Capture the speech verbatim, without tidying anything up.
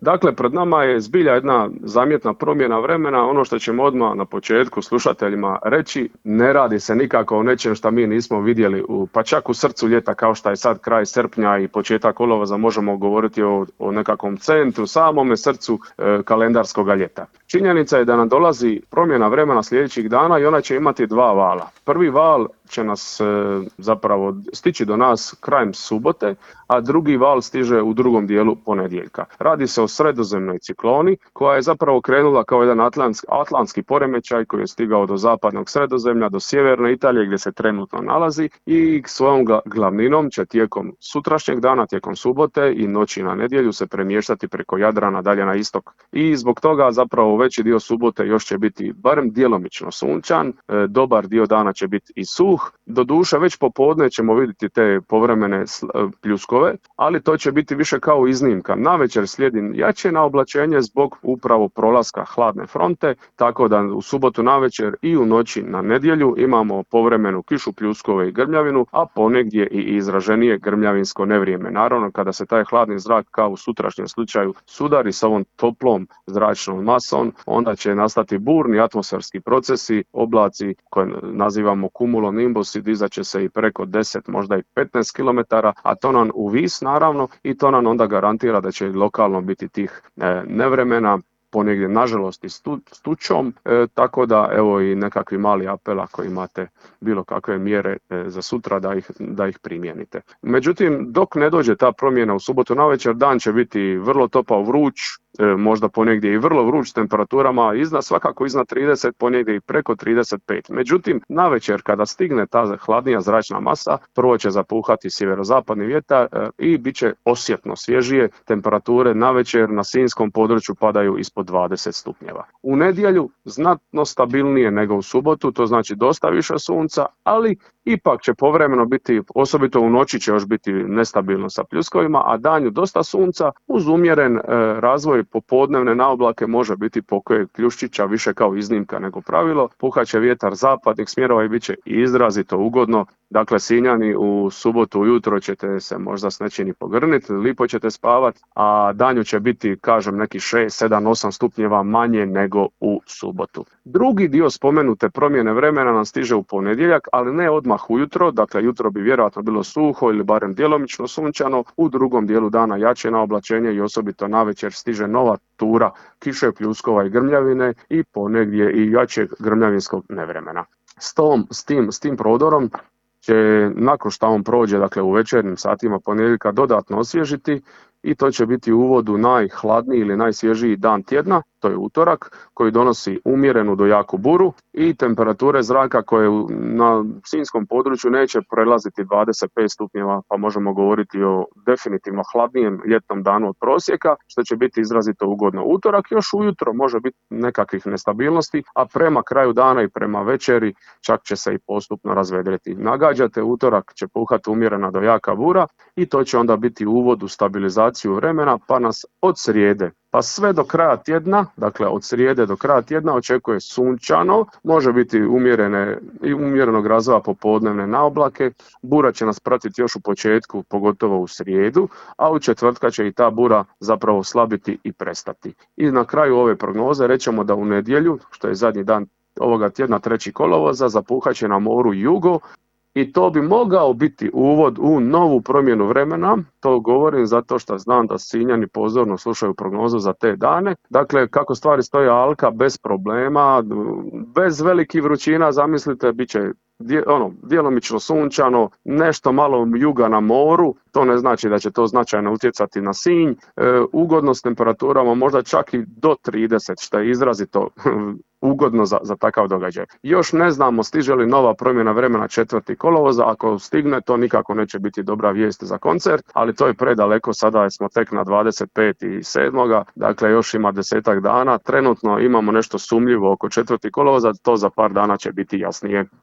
Dakle, pred nama je zbilja jedna zamjetna promjena vremena. Ono što ćemo odmah na početku slušateljima reći, ne radi se nikako o nečem što mi nismo vidjeli, u, pa čak u srcu ljeta kao što je sad kraj srpnja i početak kolovoza, možemo govoriti o, o nekakvom centru, samome srcu e, kalendarskog ljeta. Činjenica je da nam dolazi promjena vremena sljedećih dana i ona će imati dva vala. Prvi val će nas e, zapravo stići do nas krajem subote, a drugi val stiže u drugom dijelu ponedjeljka. Radi se o sredozemnoj cikloni koja je zapravo krenula kao jedan atlantski, atlantski poremećaj koji je stigao do zapadnog Sredozemlja, do sjeverne Italije gdje se trenutno nalazi i svojom glavninom će tijekom sutrašnjeg dana, tijekom subote i noći na nedjelju se premještati preko Jadrana dalje na istok. I zbog toga zapravo veći dio subote još će biti barem djelomično sunčan, e, dobar dio dana će biti i suh. Doduše već popodne ćemo vidjeti te povremene pljuskove, ali to će biti više kao iznimka. Navečer slijedi jače naoblačenje zbog upravo prolaska hladne fronte, tako da u subotu navečer i u noći na nedjelju imamo povremenu kišu, pljuskove i grmljavinu, a ponegdje i izraženije grmljavinsko nevrijeme. Naravno, kada se taj hladni zrak kao u sutrašnjem slučaju sudari sa ovom toplom zračnom masom, onda će nastati burni atmosferski procesi, oblaci koje nazivamo cumulonimbus, dizat će se i preko deset, možda i petnaest kilometara, a to nam uvis naravno i to nam onda garantira da će lokalno biti tih e, nevremena, ponegdje nažalost i stu, stučom, e, tako da evo i nekakvi mali apel ako imate bilo kakve mjere e, za sutra da ih, da ih primijenite. Međutim, dok ne dođe ta promjena u subotu navečer, dan će biti vrlo topao, vruć, e, možda ponegdje i vrlo vruć temperaturama, iznad, svakako iznad trideset, ponegdje i preko trideset pet. Međutim, navečer kada stigne ta hladnija zračna masa, prvo će zapuhati sjeverozapadni vjetar e, i bit će osjetno svježije. Temperature navečer na sinjskom području padaju ispod dvadeset stupnjeva. U nedjelju znatno stabilnije nego u subotu, to znači dosta više sunca, ali ipak će povremeno biti, osobito u noći će još biti nestabilno sa pljuskovima, a danju dosta sunca uz umjeren e, razvoj popodnevne naoblake, može biti pokoj kljuščića više kao iznimka nego pravilo. Puhaće vjetar zapadnih smjerova i bit će izrazito ugodno. Dakle, Sinjani u subotu ujutro ćete se možda s nečim i pogrniti, lipo ćete spavati, a danju će biti, kažem, neki šest, sedam, osam stupnjeva manje nego u subotu. Drugi dio spomenute promjene vremena nam stiže u ponedjeljak, ali ne odmah ujutro, dakle jutro bi vjerojatno bilo suho ili barem djelomično sunčano, u drugom dijelu dana jače naoblačenje i osobito navečer stiže nova tura kiše, pljuskova i grmljavine i ponegdje i jačeg grmljavinskog nevremena. S, tom, s, tim, s tim prodorom će nakon što on prođe, dakle u večernjim satima ponedjeljka, dodatno osvježiti i to će biti u uvodu najhladniji ili najsvježiji dan tjedna, to je utorak, koji donosi umjerenu do jaku buru i temperature zraka koje na sinjskom području neće prelaziti dvadeset pet stupnjeva, pa možemo govoriti o definitivno hladnijem ljetnom danu od prosjeka, što će biti izrazito ugodno. Utorak još ujutro može biti nekakvih nestabilnosti, a prema kraju dana i prema večeri čak će se i postupno razvedriti. Nagađate, utorak će puhati umjerena do jaka bura i to će onda biti uvod u stabilizaciju vremena, pa nas od srijede pa sve do kraja tjedna, dakle od srijede do kraja tjedna očekuje sunčano, može biti umjerene i umjerenog razvoja popodnevne naoblake, bura će nas pratiti još u početku, pogotovo u srijedu, a u četvrtka će i ta bura zapravo slabiti i prestati. I na kraju ove prognoze rećemo da u nedjelju, što je zadnji dan ovoga tjedna, treći kolovoza, zapuhat će na moru jugo, i to bi mogao biti uvod u novu promjenu vremena. To govorim zato što znam da Sinjani pozorno slušaju prognozu za te dane. Dakle, kako stvari stoje, Alka bez problema, bez velikih vrućina, zamislite, bit će ono, djelomično sunčano, nešto malo juga na moru, to ne znači da će to značajno utjecati na Sinj, e, ugodno s temperaturama možda čak i do trideset, što je izrazito ugodno za, za takav događaj. Još ne znamo stiže li nova promjena vremena četvrti kolovoza, ako stigne to nikako neće biti dobra vijest za koncert, ali to je predaleko, sada smo tek na dvadeset peti sedmog dakle još ima desetak dana, trenutno imamo nešto sumnjivo oko četvrti kolovoza, to za par dana će biti jasnije.